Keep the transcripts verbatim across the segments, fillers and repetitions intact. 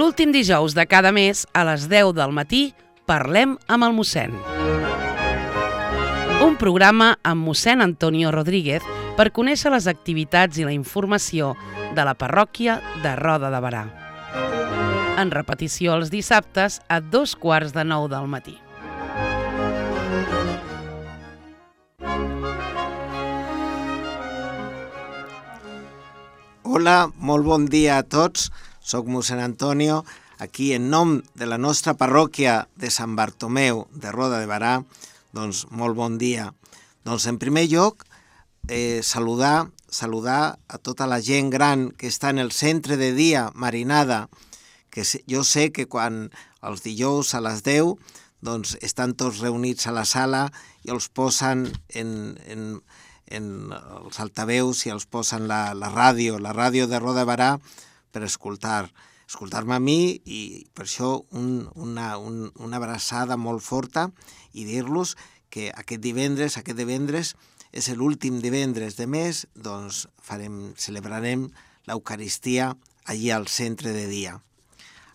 L'últim dijous de cada mes, a les deu del matí, parlem amb el mossèn. Un programa amb mossèn Antonio Rodríguez per conèixer les activitats i la informació de la parròquia de Roda de Berà. En repetició els dissabtes a dos quarts de nou del matí. Hola, molt bon dia a tots. Soc mossèn Antonio, aquí en nom de la nostra parròquia de Sant Bartomeu de Roda de Berà. Doncs molt bon dia. Doncs en primer lloc, eh, saludar, saludar a tota la gent gran que està en el centre de dia Marinada, que jo sé que quan els dijous a les deu doncs estan tots reunits a la sala i els posen en, en, en els altaveus i els posen la, la ràdio, la ràdio de Roda de Berà per escoltar, escoltar-me a mi i per això un, una, un, una abraçada molt forta i dir-los que aquest divendres, aquest divendres és l'últim divendres de mes, doncs farem, celebrarem l'Eucaristia allí al centre de dia.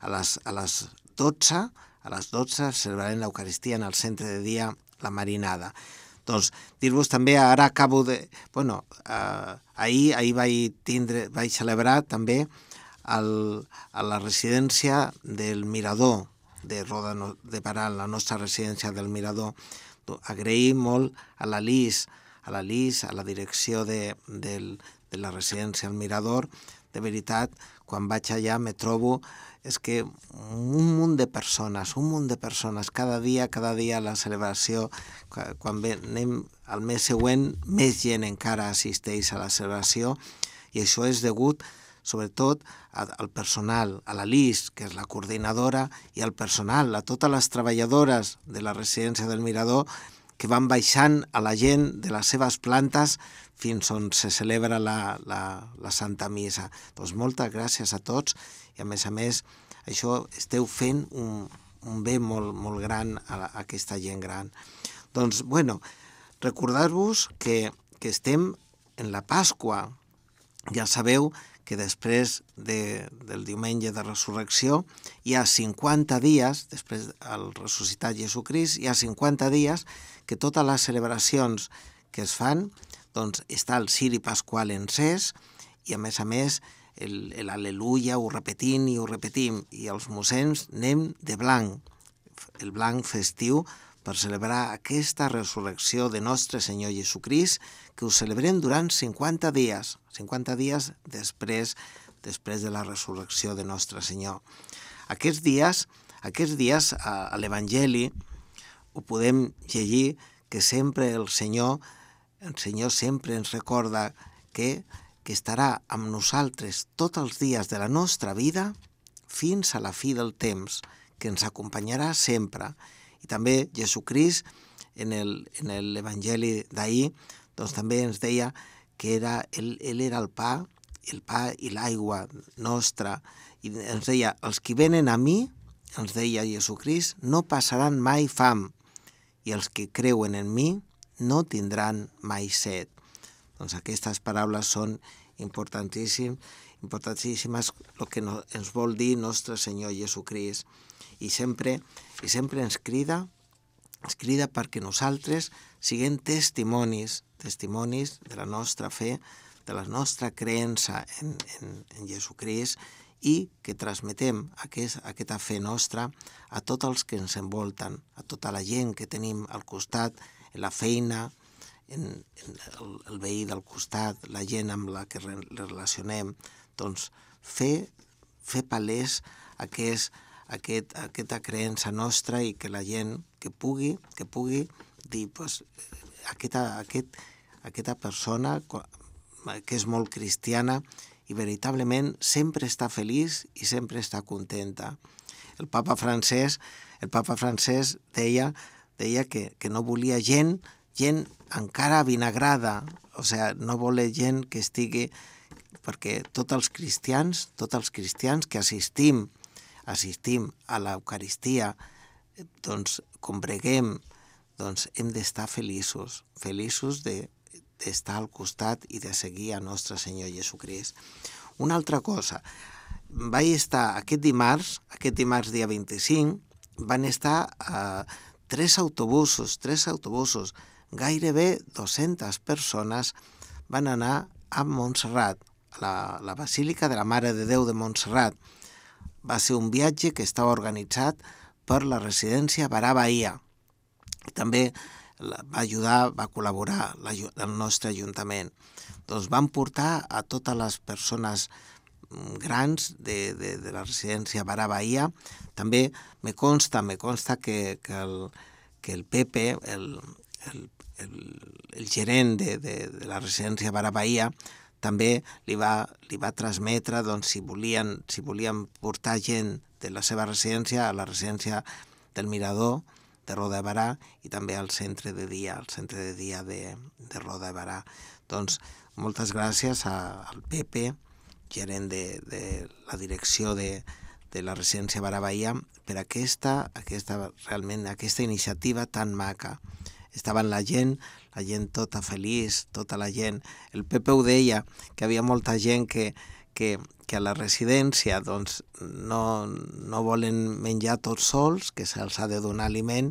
A les, a les dotze, a les dotze celebrarem l'Eucaristia en el centre de dia, la Marinada. Doncs dir-vos també, ara acabo de... Bueno, eh, ahir, ahir vaig, tindre, vaig celebrar també el, a la residència del Mirador de Roda de Berà, la nostra residència del Mirador. Agraïm molt a la Lis, a la Lis, a la direcció de, de, de la residència del Mirador. De veritat, quan vaig allà me trobo és que un munt de persones, un munt de persones, cada dia, cada dia la celebració, quan anem al mes següent, més gent encara assisteix a la celebració i això és degut sobretot al personal, a la Lis, que és la coordinadora, i al personal, a totes les treballadores de la residència del Mirador que van baixant a la gent de les seves plantes fins on se celebra la, la, la Santa Missa. Doncs moltes gràcies a tots i a més a més això esteu fent un, un bé molt, molt gran a, a aquesta gent gran. Doncs, bueno, recordar-vos que, que estem en la Pasqua. Ja sabeu que després de, del diumenge de resurrecció hi ha cinquanta dies, després del ressuscitat Jesucrist, hi ha cinquanta dies que totes les celebracions que es fan, doncs està el ciri pasqual encès i a més a més l'al·leluia ho repetim i ho repetim i els mossens anem de blanc, el blanc festiu per celebrar aquesta resurrecció de nostre Senyor Jesucrist que ho celebrem durant cinquanta dies, cinquanta dies després, després de la resurrecció de nostre Senyor. Aquests dies, aquests dies a, a l'Evangeli ho podem llegir que sempre el Senyor, el Senyor sempre ens recorda que, que estarà amb nosaltres tots els dies de la nostra vida fins a la fi del temps, que ens acompanyarà sempre. I també Jesucrist, en el, en l'Evangeli d'ahir, doncs també ens deia que era, ell, ell era el pa, el pa i l'aigua nostra. I ens deia, els que venen a mi, ens deia Jesucrist, no passaran mai fam. I els que creuen en mi no tindran mai set. Doncs aquestes paraules són importantíssimes, importantíssimes el que no, ens vol dir nostre Senyor Jesucrist. I sempre, i sempre ens crida, ens crida perquè nosaltres siguem testimonis, testimonis de la nostra fe, de la nostra creença en, en, en Jesucrist i que transmetem aquest, aquesta fe nostra a tots els que ens envolten, a tota la gent que tenim al costat, en la feina, en, en el, el veí del costat, la gent amb la que re, relacionem. Doncs fer, fer palès aquest Aquest, aquesta creença nostra i que la gent que pugui, que pugui dir, pues, aquesta, aquest, aquesta persona que és molt cristiana i veritablement sempre està feliç i sempre està contenta. El papa francès, el papa francès deia, deia que, que no volia gent, gent encara vinagrada, o sigui, no volia gent que estigui, perquè tots els cristians, tots els cristians que assistim assistim a l'Eucaristia, doncs combreguem, doncs hem d'estar feliços, feliços de, d'estar al costat i de seguir a nostre Senyor Jesucrist. Una altra cosa, vaig estar aquest dimarts, aquest dimarts dia vint-i-cinc, van estar eh, tres autobusos, tres autobusos, gairebé dues-centes persones van anar a Montserrat, a la, la Basílica de la Mare de Déu de Montserrat. Va ser un viatge que estava organitzat per la residència Barà Bahia. També va ajudar, va col·laborar el nostre Ajuntament. Doncs van portar a totes les persones grans de, de, de la residència Barà Bahia. També me consta, me consta que, que, el, que el Pepe, el, el, el, el gerent de, de, de la residència Barà Bahia, també li va, li va transmetre doncs, si, volien, si volien portar gent de la seva residència a la residència del Mirador de Roda de Barà i també al centre de dia, al centre de dia de, de Roda de Barà. Doncs moltes gràcies a, al Pepe, gerent de, de la direcció de, de la residència Barà Bahia, per aquesta, aquesta, realment, aquesta iniciativa tan maca. Estaven la gent, la gent tota feliç, tota la gent. El Pepe ho deia, que hi havia molta gent que, que, que a la residència doncs, no, no volen menjar tots sols, que se'ls ha de donar aliment,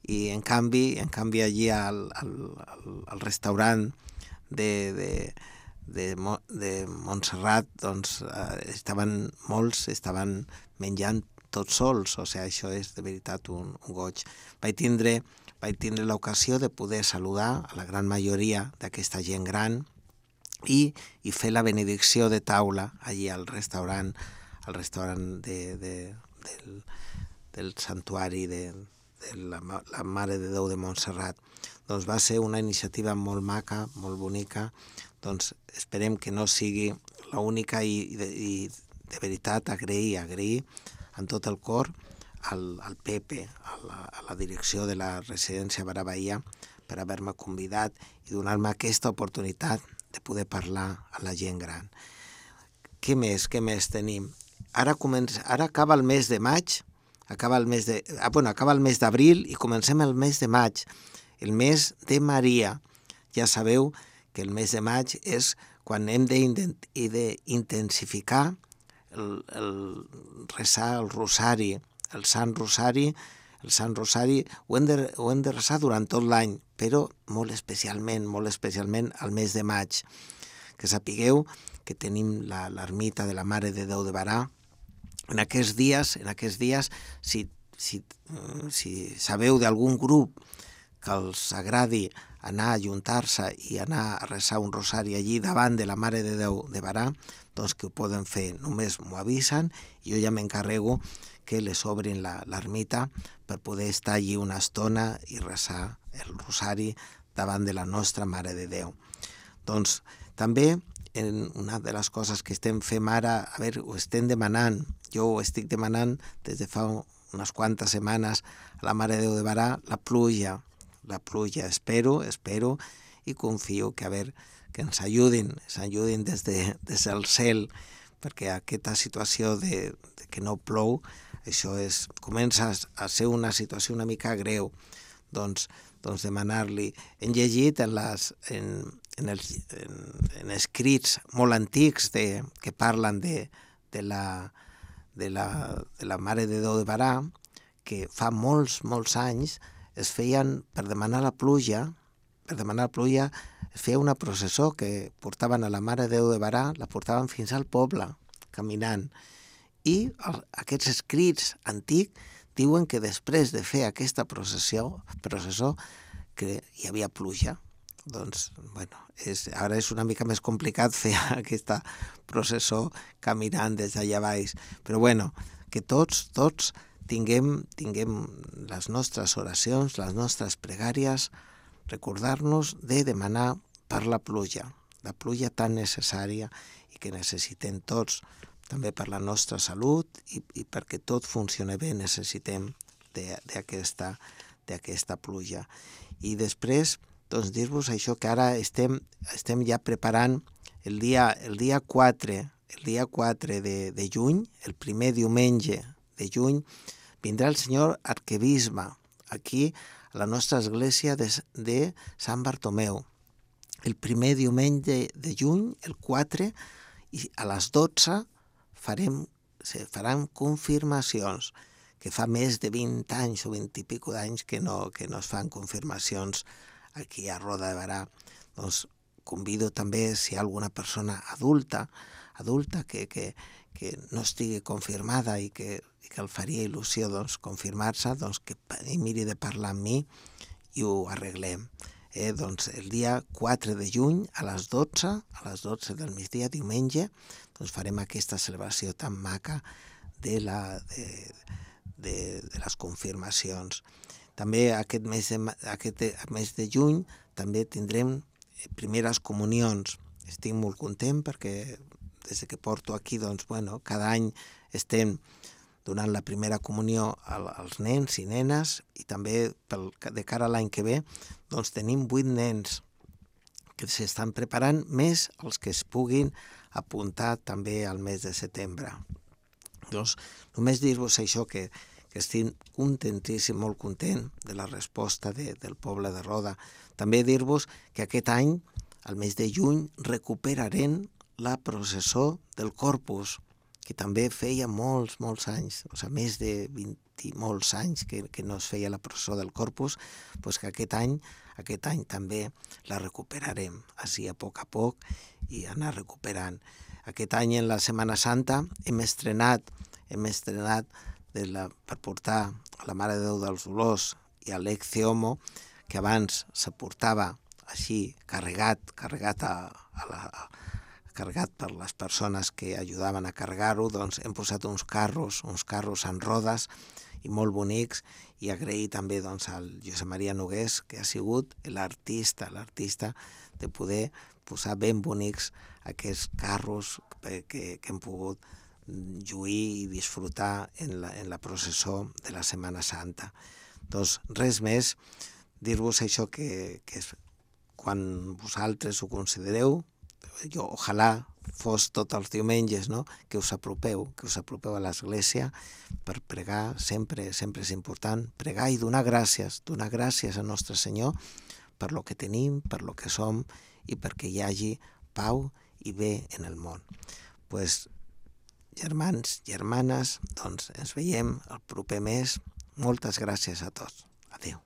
i en canvi, en canvi allí al, al, al restaurant de, de, de, de Montserrat doncs, estaven molts, estaven menjant tots sols, o sigui, això és de veritat un, un goig. Vaig tindre, vaig tindre l'ocasió de poder saludar a la gran majoria d'aquesta gent gran i, i fer la benedicció de taula allí al restaurant, al restaurant de, de, del, del santuari de, de la, la Mare de Déu de Montserrat. Doncs va ser una iniciativa molt maca, molt bonica, doncs esperem que no sigui l'única i, i, de, i de veritat agrair, agrair en tot el cor al, al Pepe, a la, a la direcció de la residència Barà Bahia, per haver-me convidat i donar-me aquesta oportunitat de poder parlar a la gent gran. Què més, què més tenim? Ara, comença, ara acaba el mes de maig, acaba el mes de, ah, bueno, acaba el mes d'abril i comencem el mes de maig, el mes de Maria. Ja sabeu que el mes de maig és quan hem d'intensificar el, el resar el rosari, el Sant Rosari, el Sant Rosari ho hem de, ho hem de resar durant tot l'any, però molt especialment, molt especialment al mes de maig. Que sapigueu que tenim l'ermita de la Mare de Déu de Barà. En aquests dies, en aquests dies, si, si, si sabeu d'algun grup que els agradi anar a ajuntar-se i anar a resar un rosari allí davant de la Mare de Déu de Barà, doncs que ho poden fer, només m'ho avisen i jo ja m'encarrego que les obrin l'ermita per poder estar allí una estona i resar el rosari davant de la nostra Mare de Déu. Doncs també en una de les coses que estem fent ara, a veure, ho estem demanant, jo ho estic demanant des de fa unes quantes setmanes a la Mare de Déu de Barà, la pluja, la pluja, espero, espero i confio que a veure, que ens ajudin, ens ajudin des, de, des del cel, perquè aquesta situació de, de que no plou, això és, comença a ser una situació una mica greu, doncs, doncs demanar-li. Hem llegit en, les, en, en, els, en, en escrits molt antics de, que parlen de, de, la, de, la, de la Mare de Déu de Barà, que fa molts, molts anys es feien, per demanar la pluja, per demanar la pluja, es feia una processó que portaven a la Mare de Déu de Barà, la portaven fins al poble, caminant. I el, aquests escrits antics diuen que després de fer aquesta processió, processó, que hi havia pluja. Doncs, bueno, és, ara és una mica més complicat fer aquesta processó caminant des d'allà baix. Però bueno, que tots, tots tinguem, tinguem les nostres oracions, les nostres pregàries, recordar-nos de demanar per la pluja, la pluja tan necessària i que necessitem tots, també per la nostra salut i, i perquè tot funcioni bé necessitem d'aquesta d'aquesta pluja. I després, doncs, dir-vos això que ara estem, estem ja preparant el dia, el dia quatre, el dia quatre de, de juny, el primer diumenge de juny, vindrà el senyor arquebisbe aquí a la nostra església de, de Sant Bartomeu. El primer diumenge de, de juny, el quatre, i a les dotze farem se faran confirmacions, que fa més de vint anys o vint i pico d'anys que no, que no es fan confirmacions aquí a Roda de Berà. Doncs convido també, si hi ha alguna persona adulta, adulta que, que, que no estigui confirmada i que, i que el faria il·lusió doncs, confirmar-se, doncs que miri de parlar amb mi i ho arreglem. Eh, doncs el dia quatre de juny a les dotze, a les dotze del migdia, diumenge, doncs farem aquesta celebració tan maca de, la, de, de, de les confirmacions. També aquest mes de, aquest mes de juny també tindrem primeres comunions. Estic molt content perquè des que porto aquí, doncs, bueno, cada any estem donant la primera comunió als nens i nenes i també pel, de cara a l'any que ve doncs tenim vuit nens que s'estan preparant, més els que es puguin apuntar també al mes de setembre. Doncs només dir-vos això, que, que estic contentíssim, molt content de la resposta de, del poble de Roda. També dir-vos que aquest any, al mes de juny, recuperarem la processó del Corpus, que també feia molts, molts anys, o sigui, més de vint i molts anys que, que no es feia la processó del Corpus, doncs que aquest any, aquest any també la recuperarem, així a poc a poc, i anar recuperant. Aquest any, en la Setmana Santa, hem estrenat, hem estrenat de la, per portar a la Mare de Déu dels Dolors i a l'Ecce Homo, que abans se portava així, carregat, carregat a, a la... A, carregat per les persones que ajudaven a carregar-ho, doncs hem posat uns carros, uns carros en rodes i molt bonics, i agrair també doncs, al Josep Maria Nogués, que ha sigut l'artista, l'artista de poder posar ben bonics aquests carros que, que hem pogut lluir i disfrutar en la, en la processó de la Setmana Santa. Doncs res més, dir-vos això que, que quan vosaltres ho considereu, jo, ojalà fos tots els diumenges, no? Que us apropeu, que us apropeu a l'església per pregar, sempre, sempre és important, pregar i donar gràcies, donar gràcies al nostre Senyor per lo que tenim, per lo que som i perquè hi hagi pau i bé en el món. Pues, germans, germanes, doncs ens veiem el proper mes. Moltes gràcies a tots. Adéu.